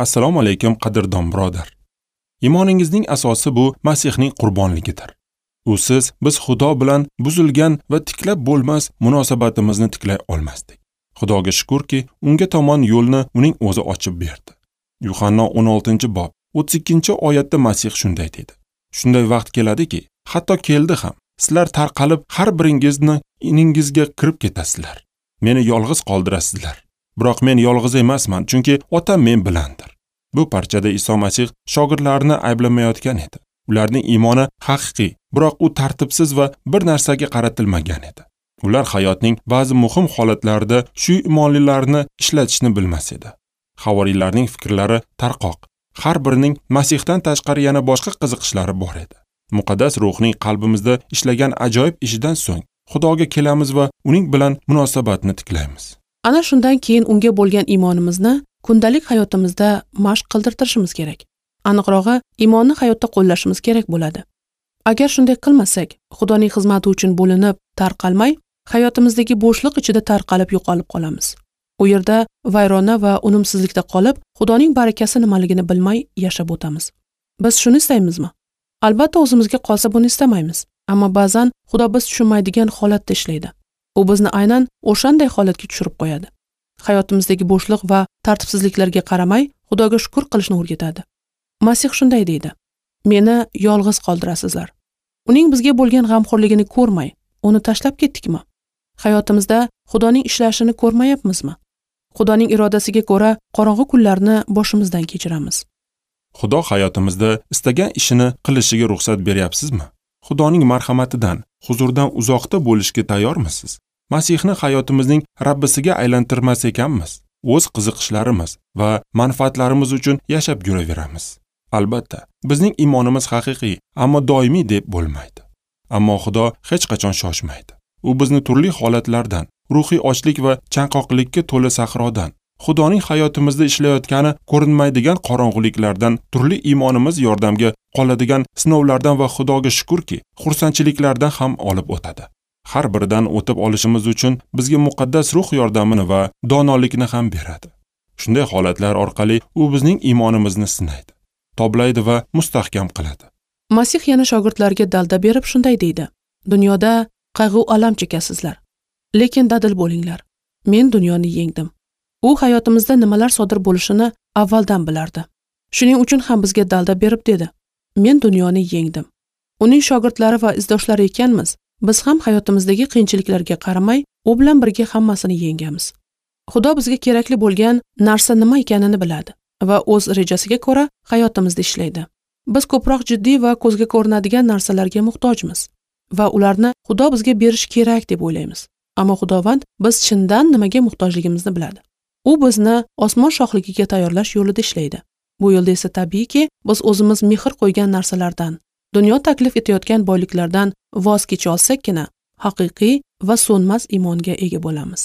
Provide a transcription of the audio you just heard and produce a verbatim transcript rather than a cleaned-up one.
Assalomu alaykum, qadrdon birodar. Iymoningizning asosi bu Masihning qurbonligidir. Usiz biz Xudo bilan buzilgan va tiklab bo'lmas munosabatimizni tiklay olmasdik. Xudoga shukurki, unga tomon yo'lni uning o'zi ochib berdi. Yuhanna o'n oltinchi bob o'ttiz ikkinchi oyatda Masih shunday dedi: Shunday vaqt keladiki, hatto keldi ham, sizlar tarqalib har biringizni iningizga kirib ketasizlar. Meni yolg'iz qoldirasizlar. Biroq men yolg'iz emasman, chunki Otam men bilandir. Bu parchada Iso Masih shogirdlarini ayblamayotgan edi. Ularning iymoni haqiqiy, biroq u tartibsiz va bir narsaga qaratilmagan edi. Ular hayotning ba'zi muhim holatlarida shu iymonlilarni ishlatishni bilmas edi. Havoriylarning fikrlari tarqoq. Har birining Masihdan tashqari yana boshqa qiziqishlari bor edi. Muqaddas ruhning qalbimizda ishlagan ajoyib ishidan so'ng Xudoga kelamiz va uning bilan munosabatni tiklaymiz. Ana shundan keyin unga bo'lgan iymonimizni kundalik hayotimizda mashq qildirtirishimiz kerak. Aniqrog'i, iymonni hayotda qo'llashimiz kerak bo'ladi. Agar shunday qilmasak, Xudoning xizmati uchun bo'linib, tarqalmay, hayotimizdagi bo'shliq ichida tarqalib yo'qolib qolamiz. U yerda vayrona va unumsizlikda qolib, Xudoning barakasi nimaligini bilmay yashab o'tamiz. Biz shuni istaymizmi? Albatta o'zimizga qolsa buni istamaymiz. Ammo ba'zan Xudo biz tushunmaydigan holatda ishlaydi. U bizni aynan o'shanday holatga tushirib qo'yadi. Hayotimizdagi bo'shliq va tartibsizliklarga qaramay, Xudoga shukr qilishni o'rgatadi. Masih shunday deydi: Meni yolg'iz qoldirasizlar. Uning bizga bo'lgan g'amxo'rligini ko'rmay, uni tashlab ketdikmi? Hayotimizda Xudoning ishlashini ko'rmayapmizmi? Xudoning irodasiga ko'ra qorong'u kunlarni boshimizdan kechiramiz. Xudo hayotimizda istagan ishini qilishiga ruxsat beryapsizmi? Xudoning marhamatidan, huzurdan uzoqda bo'lishga tayyormisiz? Masihni hayotimizning Rabbisiga aylantirmas ekanmiz, o'z qiziqishlarimiz va manfaatlarimiz uchun yashab yuraveramiz. Albatta, bizning iymonimiz haqiqiy, ammo doimiy deb bo'lmaydi. Ammo Xudo hech qachon shoshmaydi. U bizni turli holatlardan, ruhiy ochlik va chanqoqlikka to'la sahrodan, Xudoning hayotimizda ishlayotgani ko'rinmaydigan qorong'uliklardan, turli iymonimiz yordamga qoladigan sinovlardan va Xudoga shukurki, xursandchiliklardan ham olib o'tadi. Har biridan o'tib olishimiz uchun bizga muqaddas ruh yordamini va donolikni ham beradi. Shunday holatlar orqali u bizning iymonimizni sinaydi, toblaydi va mustahkam qiladi. Masih yana shogirdlarga dalda berib shunday deydi: Dunyoda qayg'u alam chekasizlar, lekin dadil bo'linglar. Men dunyoni yengdim. U hayotimizda nimalar sodir bo'lishini avvaldan bilardi. Shuning uchun ham bizga dalda berib dedi: Men dunyoni yengdim. Uning shogirdlari va izdoshlari ekanmiz, biz ham hayotimizdagi qiyinchiliklarga qaramay, u bilan birga hammasini yengamiz. Xudo bizga kerakli bo'lgan narsa nima ekanini biladi va o'z rejasiga ko'ra hayotimizda ishlaydi. Biz ko'proq jiddiy va ko'zga ko'rinadigan narsalarga muhtojmiz va ularni Xudo bizga berishi kerak deb o'ylaymiz. Ammo Xudovand biz chindan nimaga muhtojligimizni biladi. U bizni osmon shohligiga tayyorlash yo'lida ishlaydi. Bu yo'lda esa tabiiyki, biz o'zimiz mehr qo'ygan narsalardan, dunyo taklif etayotgan boyliklardan voz kecha olsakkina haqiqiy va so'nmas iymonga ega bo'lamiz.